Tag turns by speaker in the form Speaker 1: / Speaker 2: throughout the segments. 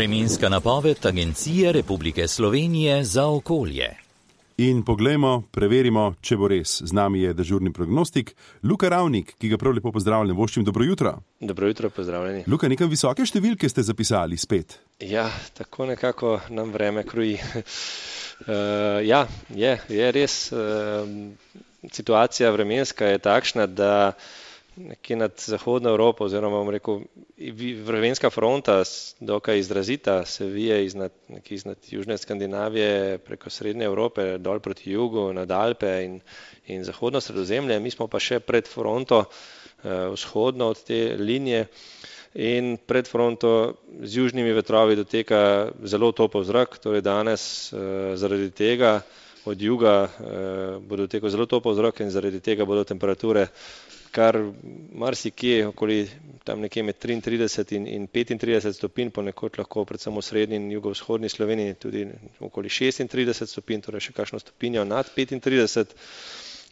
Speaker 1: Vremenska napoved Agencije Republike Slovenije za okolje.
Speaker 2: In poglejmo, preverimo, če bo res. Z nami je dežurni prognostik Luka Ravnik, ki ga prav lepo pozdravljam. Voščim, dobro jutro.
Speaker 3: Dobro jutro, pozdravljeni.
Speaker 2: Luka, nekaj visoke številke ste zapisali spet.
Speaker 3: Ja, tako nekako nam vreme kroji. Je res. Situacija vremenska je takšna, da nekje nad zahodno Evropo, oziroma bom rekel, vremenska fronta, dokaj izrazita, se vije iznad južne Skandinavije preko srednje Evrope, dol proti jugu, nad Alpe in zahodno Sredozemlje. Mi smo pa še pred fronto, vzhodno od te linije, in pred fronto z južnimi vetrovi doteka zelo topel zrak, torej danes zaradi tega od juga bo dotekal zelo topel zrak in zaradi tega bodo temperature kar marsikje okoli tam nekje med 33 in 35 stopinj, ponekod lahko predvsem v srednji in jugovzhodni Sloveniji tudi okoli 36 stopinj, torej še kakšno stopinjo nad 35,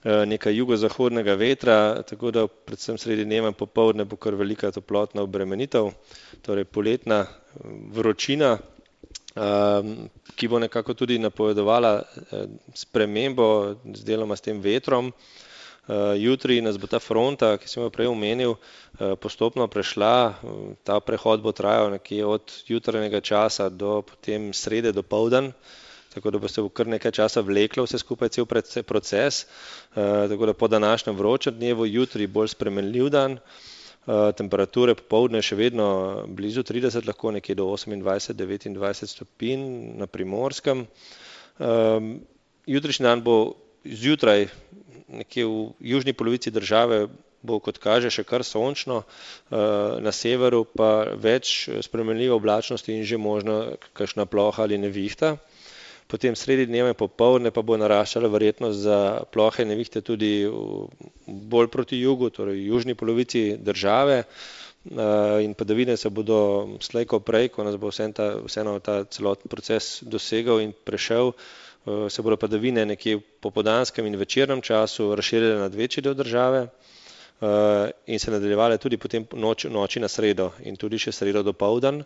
Speaker 3: nekaj jugozahodnega vetra, tako da predvsem sredi dneva in popoldne bo kar velika toplotna obremenitev, torej poletna vročina, ki bo nekako tudi napovedovala spremembo z deloma s tem vetrom. Jutri nas bo ta fronta, ki sem jo prej omenil, postopno prešla. Ta prehod bo trajal nekje od jutranjega časa do potem srede dopoldan, tako da bo se kar nekaj časa vleklo vse skupaj cel proces. Tako da po današnjem vročem dnevu, jutri bolj spremenljiv dan, temperature popoldne še vedno blizu 30, lahko nekje do 28-29 stopinj na Primorskem. Jutrišnji dan bo zjutraj nekje v južni polovici države bo, kot kaže, še kar sončno, na severu pa več spremenljive oblačnosti in že možno kakšna ploha ali nevihta. Potem sredi dneva in popoldne pa bo naraščala verjetnost za plohe in nevihte tudi bolj proti jugu, torej v južni polovici države, in padavine se bodo slej ko prej, ko nas bo vseeno ta celoten proces dosegal in prešel, se bodo padavine nekje v popoldanskem in večernem času razširile nad večji del države in se nadaljevale tudi potem noči na sredo in tudi še sredo dopoldan.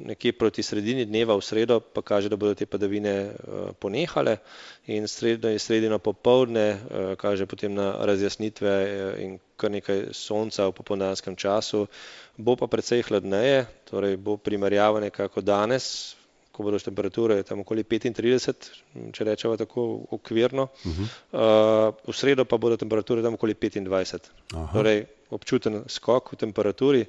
Speaker 3: Nekje proti sredini dneva v sredo pa kaže, da bodo te padavine ponehale in sredino popoldne kaže potem na razjasnitve in kar nekaj sonca v popoldanskem času. Bo pa precej hladneje, torej bo primerjava nekako danes, ko bodo temperature tam okoli 35, če rečemo tako okvirno. V sredo pa bodo temperature tam okoli 25. Torej občuten skok v temperaturi.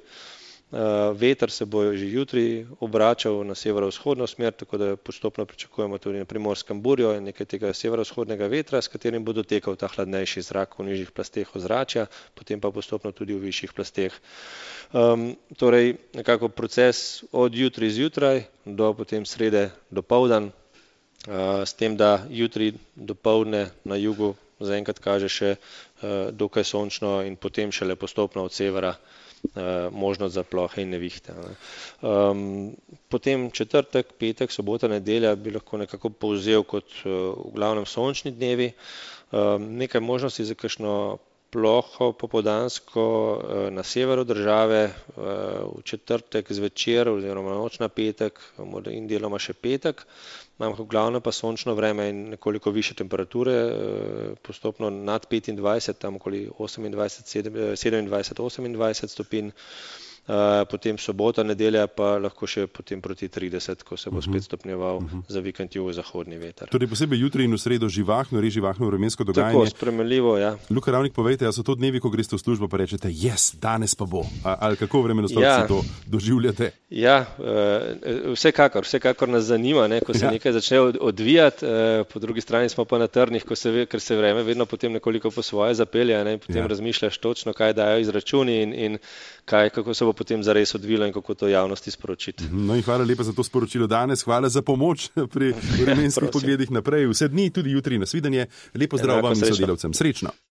Speaker 3: Veter se bo že jutri obračal na severovzhodno smer, tako da postopno pričakujemo tudi na Primorskem burjo in nekaj tega severovzhodnega vetra, s katerim bo dotekal ta hladnejši zrak v nižjih plasteh ozračja, potem pa postopno tudi v višjih plasteh. Torej nekako proces od jutri zjutraj do potem srede dopoldan, s tem, da jutri dopoldne na jugu zaenkrat kaže še dokaj sončno in potem šele postopno od severa možnost za plohe in nevihte. Potem četrtek, petek, sobota, nedelja bi lahko nekako povzel kot v glavnem sončni dnevi. Nekaj možnosti za kakšno ploho popoldansko na severu države, v četrtek zvečer oziroma noč na petek in deloma še petek. Imamo v glavnem pa sončno vreme in nekoliko više temperature, postopno nad 25, tam okoli 27-28 stopinj. Potem sobota, nedelja pa lahko še potem proti 30, ko se bo spet stopnjeval za vikend jugozahodni veter.
Speaker 2: Torej posebej jutri in v sredo živahno vremensko dogajanje.
Speaker 3: Tako, spremenljivo, ja.
Speaker 2: Luka Ravnik, povejte, a so to dnevi, ko greste v službo pa rečete, danes pa bo, ali kako vremenoslovci to doživljate?
Speaker 3: Ja, vsekakor nas zanima, ko se nekaj začne odvijati, po drugi strani smo pa na trnih, ker se vreme vedno potem nekoliko po svoje zapelje, in potem razmišljaš točno, kaj dajo izračuni in kako se bo potem zares odvilo in kako to javnosti sporočiti.
Speaker 2: No in hvala lepa za to sporočilo danes, hvala za pomoč pri vremenskih pogledih naprej. Vse dni, tudi jutri, nasvidenje. Lepo zdrav vam in sodelavcem. Srečno.